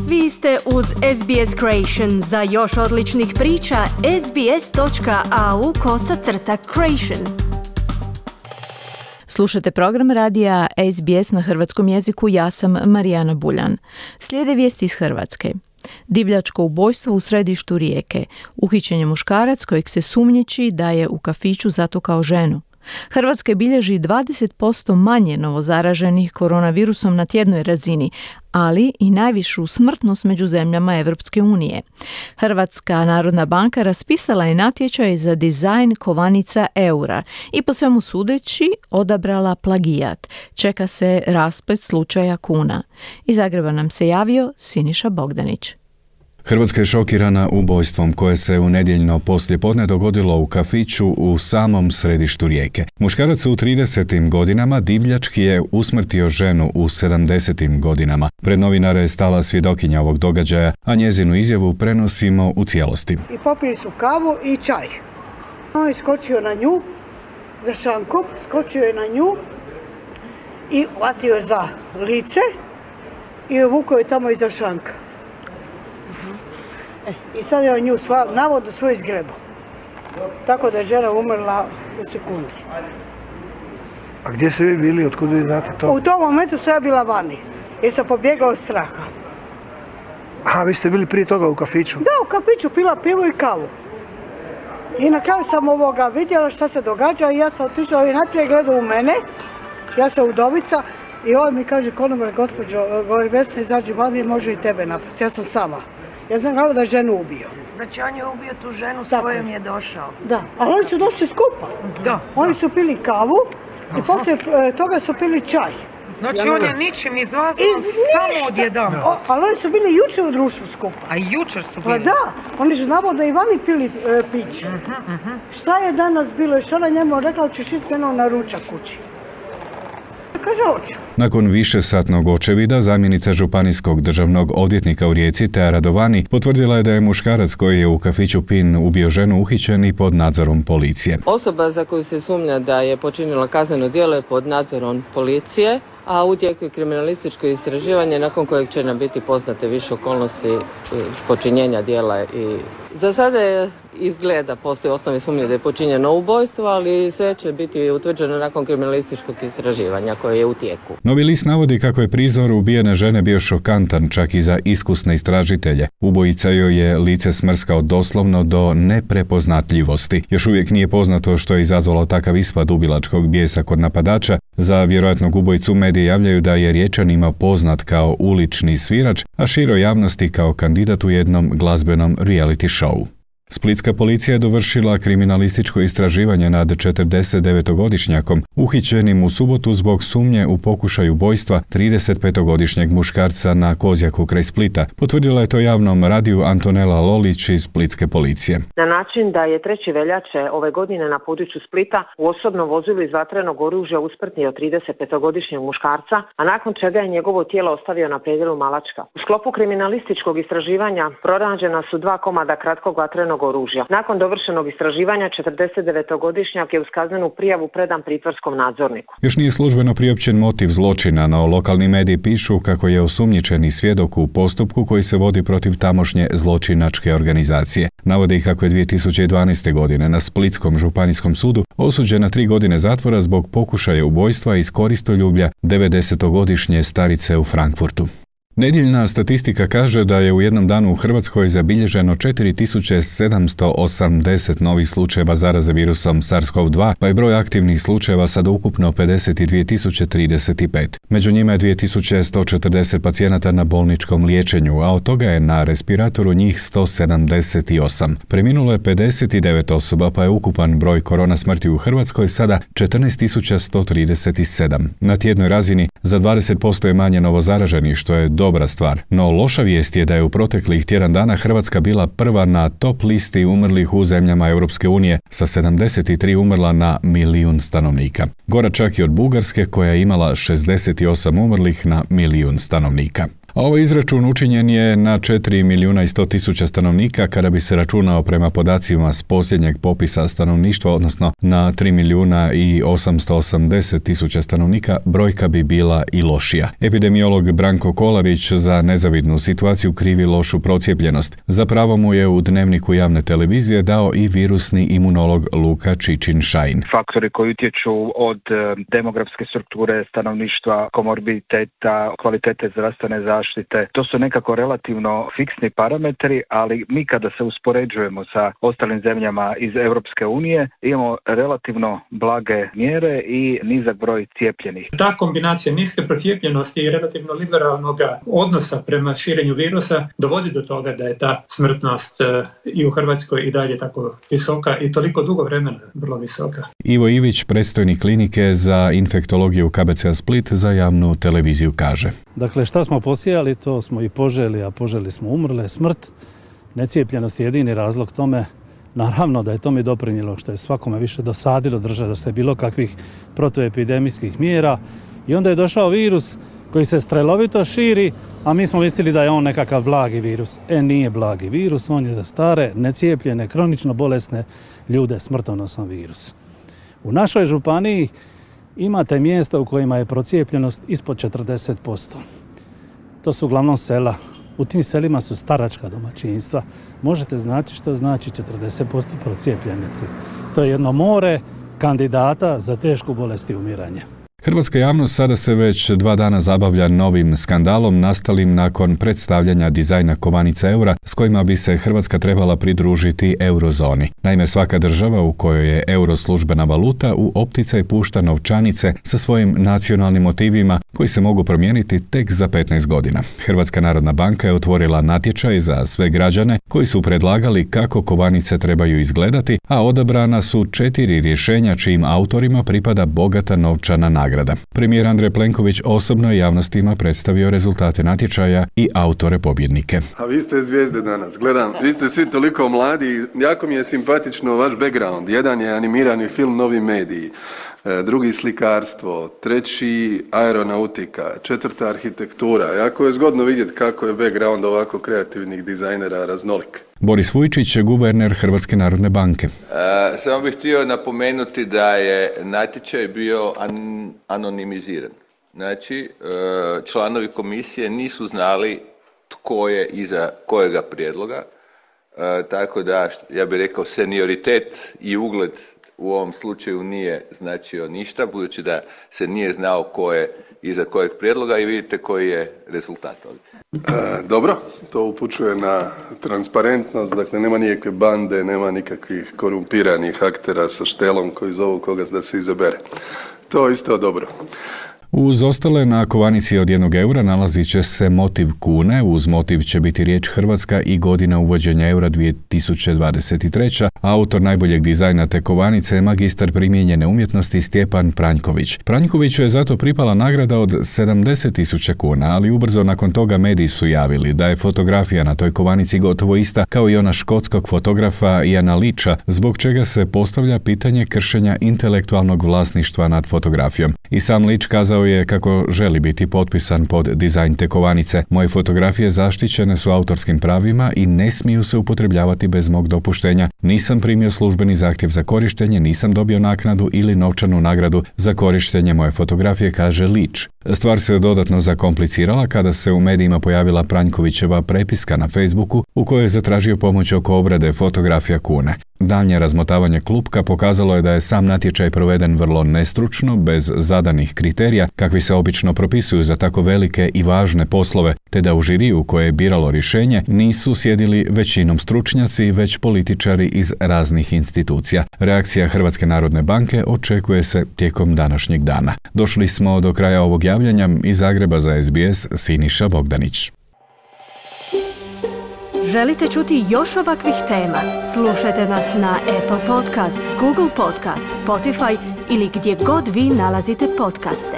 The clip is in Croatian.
Vi ste uz SBS Creation. Za još odličnih priča, sbs.au/creation. Slušate program radija SBS na hrvatskom jeziku, ja sam Marijana Buljan. Slijede vijesti iz Hrvatske. Divljačko ubojstvo u središtu Rijeke. Uhićen je muškarac kojeg se sumnjiči da je u kafiću zatukao ženu. Hrvatska bilježi 20% manje novozaraženih koronavirusom na tjednoj razini, ali i najvišu smrtnost među zemljama Europske unije. Hrvatska narodna banka raspisala je natječaj za dizajn kovanica eura i po svemu sudeći odabrala plagijat. Čeka se rasplet slučaja kuna. Iz Zagreba nam se javio Siniša Bogdanić. Hrvatska je šokirana ubojstvom koje se u nedjeljno poslijepodne dogodilo u kafiću u samom središtu Rijeke. Muškarac u 30. godinama divljački je usmrtio ženu u 70. godinama. Pred novinare je stala svjedokinja ovog događaja, a njezinu izjavu prenosimo u cijelosti. I popili su kavu i čaj. On je skočio na nju, za šankom, skočio je na nju i hvatio je za lice i uvukao je tamo iza šanka. I sad je on nju navodno svoj zgrebu. Tako da je žena umrla u sekundi. A gdje ste vi bili? Otkud vi znate to? U tom momentu sam ja bila vani. Jer sam pobjegla od straha. A vi ste bili prije toga u kafiću? Da, u kafiću pila pivo i kavu. I na kraju sam vidjela šta se događa i ja sam otišla i najprije gledao u mene. Ja sam udovica i on mi kaže, konobar, gospođo, govori, Vesna, izađi vani, može i tebe napasti. Ja sam sama. Ja sam gledala da je ženu ubio. Znači on je ubio tu ženu s kojom je došao? Da, ali oni su došli skupa. Da. Oni su pili kavu i poslije toga su pili čaj. Znači on je ničim izvazio samo odjedan. Ali oni su bili jučer u društvu skupa. A jučer su bili? Pa da, oni su navodno i vani pili piće. Šta je danas bilo? Još ona njemu rekla, ćeš iskreno na ručak kući. Kaže, hoću. Nakon višesatnog očevida, zamjenica županijskog državnog odvjetnika u Rijeci, Tea Radovani, potvrdila je da je muškarac koji je u kafiću Pin ubio ženu uhićen i pod nadzorom policije. Osoba za koju se sumnja da je počinila kazneno djelo je pod nadzorom policije, a u tijeku je kriminalističko istraživanje nakon kojeg će nam biti poznate više okolnosti počinjenja djela. I za sada je izgleda, postoji osnovne sumnje da je počinjeno ubojstvo, ali sve će biti utvrđeno nakon kriminalističkog istraživanja koje je u tijeku. Novi list navodi kako je prizor ubijene žene bio šokantan čak i za iskusne istražitelje. Ubojica joj je lice smrskao doslovno do neprepoznatljivosti. Još uvijek nije poznato što je izazvalo takav ispad ubilačkog bijesa kod napadača. Za vjerojatnog ubojicu mediji javljaju da je Riječanima poznat kao ulični svirač, a široj javnosti kao kandidat u jednom glazbenom reality showu. Splitska policija je dovršila kriminalističko istraživanje nad 49-godišnjakom, uhićenim u subotu zbog sumnje u pokušaju ubojstva 35-godišnjeg muškarca na Kozjaku kraj Splita. Potvrdila je to javnom radiju Antonela Lolić iz Splitske policije. Na način da je 3. veljače ove godine na području Splita u osobnom vozilu iz vatrenog oružja usmrtio 35-godišnjeg muškarca, a nakon čega je njegovo tijelo ostavio na predjelu Malačka. U sklopu kriminalističkog istraživanja pronađena su 2 komada kratkog vatrenog oružja. Nakon dovršenog istraživanja 49-godišnjak je uz kaznenu prijavu predan pritvorskom nadzorniku. Još nije službeno priopćen motiv zločina, no lokalni mediji pišu kako je osumnjičeni svjedok u postupku koji se vodi protiv tamošnje zločinačke organizacije. Navode ih kako je 2012. godine na Splitskom županijskom sudu osuđen na 3 godine zatvora zbog pokušaja ubojstva iz koristoljublja 90-godišnje starice u Frankfurtu. Nedjeljna statistika kaže da je u jednom danu u Hrvatskoj zabilježeno 4780 novih slučajeva zaraze virusom SARS-CoV-2, pa je broj aktivnih slučajeva sad ukupno 52.035. Među njima je 2140 pacijenata na bolničkom liječenju, a od toga je na respiratoru njih 178. Preminulo je 59 osoba, pa je ukupan broj korona smrti u Hrvatskoj sada 14.137. Na tjednoj razini za 20% je manje novozaraženih, što je dobra stvar. No loša vijest je da je u proteklih tjedan dana Hrvatska bila prva na top listi umrlih u zemljama Europske unije sa 73 umrla na milijun stanovnika. Gora čak i od Bugarske koja je imala 68 umrlih na milijun stanovnika. A ovaj izračun učinjen je na 4.100.000 stanovnika kada bi se računao prema podacima s posljednjeg popisa stanovništva, odnosno na 3.880.000 stanovnika, brojka bi bila i lošija. Epidemiolog Branko Kolarić za Nezavidnu situaciju krivi lošu procijepljenost. Zapravo mu je u Dnevniku javne televizije dao i virusni imunolog Luka Čičin-Šajn. Faktori koji utječu od demografske strukture stanovništva, komorbiditeta, kvalitete zdravstvene zaštite, to su nekako relativno fiksni parametri, ali mi kada se uspoređujemo sa ostalim zemljama iz Europske unije, imamo relativno blage mjere i nizak broj cijepljenih. Ta kombinacija niske procijepljenosti i relativno liberalnog odnosa prema širenju virusa dovodi do toga da je ta smrtnost i u Hrvatskoj i dalje tako visoka i toliko dugo vremena vrlo visoka. Ivo Ivić, predstojnik klinike za infektologiju KBC Split, za javnu televiziju kaže. Dakle, šta smo posijali, to smo i poželi, a poželi smo umrle. Smrt, necijepljenost je jedini razlog tome. Naravno da je tome doprinijelo što je svakome više dosadilo držati se bilo kakvih protuepidemijskih mjera i onda je došao virus koji se strelovito širi, a mi smo mislili da je on nekakav blagi virus. Nije blagi virus, on je za stare, necijepljene, kronično bolesne ljude smrtonosan virus. U našoj županiji imate mjesta u kojima je procijepljenost ispod 40%. To su uglavnom sela. U tim selima su staračka domaćinstva. Možete znači što znači 40% procijepljenosti. To je jedno more kandidata za tešku bolest i umiranje. Hrvatska javnost sada se već 2 dana zabavlja novim skandalom nastalim nakon predstavljanja dizajna kovanica eura s kojima bi se Hrvatska trebala pridružiti eurozoni. Naime, svaka država u kojoj je euro službena valuta u opticaj pušta novčanice sa svojim nacionalnim motivima koji se mogu promijeniti tek za 15 godina. Hrvatska narodna banka je otvorila natječaj za sve građane koji su predlagali kako kovanice trebaju izgledati, a odabrana su 4 rješenja čijim autorima pripada bogata novčana nagrada. Premijer Andrej Plenković osobno javnostima predstavio rezultate natječaja i autore pobjednike. A vi ste zvijezde danas, gledam, vi ste svi toliko mladi, jako mi je simpatično vaš background. Jedan je animirani film Novi mediji, drugi slikarstvo, treći aeronautika, četvrta arhitektura. Jako je zgodno vidjeti kako je background ovako kreativnih dizajnera raznolik. Boris Vujčić, guverner Hrvatske narodne banke. Samo bih htio napomenuti da je natječaj bio anonimiziran. Znači, članovi komisije nisu znali tko je iza kojega prijedloga, tako da, ja bih rekao, senioritet i ugled u ovom slučaju nije značio ništa, budući da se nije znao ko je iza kojeg prijedloga i vidite koji je rezultat ovdje. Dobro, to upućuje na transparentnost, dakle nema nikakve bande, nema nikakvih korumpiranih aktera sa štelom koji zovu koga da se izabere. To je isto dobro. Uz ostale na kovanici od 1 eura nalazit će se motiv kune, uz motiv će biti riječ Hrvatska i godina uvođenja eura 2023. Autor najboljeg dizajna te kovanice je magistar primijenjene umjetnosti Stjepan Pranjković. Pranjkoviću je zato pripala nagrada od 70.000 kuna, ali ubrzo nakon toga mediji su javili da je fotografija na toj kovanici gotovo ista kao i ona škotskog fotografa Iana Leacha, zbog čega se postavlja pitanje kršenja intelektualnog vlasništva nad fotografijom. I sam Leach kazao je kako želi biti potpisan pod dizajn te kovanice. Moje fotografije zaštićene su autorskim pravima i ne smiju se upotrebljavati bez mog dopuštenja. Nisam primio službeni zahtjev za korištenje, nisam dobio naknadu ili novčanu nagradu za korištenje moje fotografije, kaže Leach. Stvar se dodatno zakomplicirala kada se u medijima pojavila Pranjkovićeva prepiska na Facebooku u kojoj je zatražio pomoć oko obrade fotografija kune. Daljnje razmotavanje klupka pokazalo je da je sam natječaj proveden vrlo nestručno, bez zadanih kriterija, kakvi se obično propisuju za tako velike i važne poslove, te da u žiriju koje je biralo rješenje nisu sjedili većinom stručnjaci, već političari iz raznih institucija. Reakcija Hrvatske narodne banke očekuje se tijekom današnjeg dana. Došli smo do kraja ovog javljanja. Iz Zagreba za SBS, Siniša Bogdanić. Želite čuti još ovakvih tema? Slušajte nas na Apple Podcast, Google Podcast, Spotify ili gdje god vi nalazite podcaste.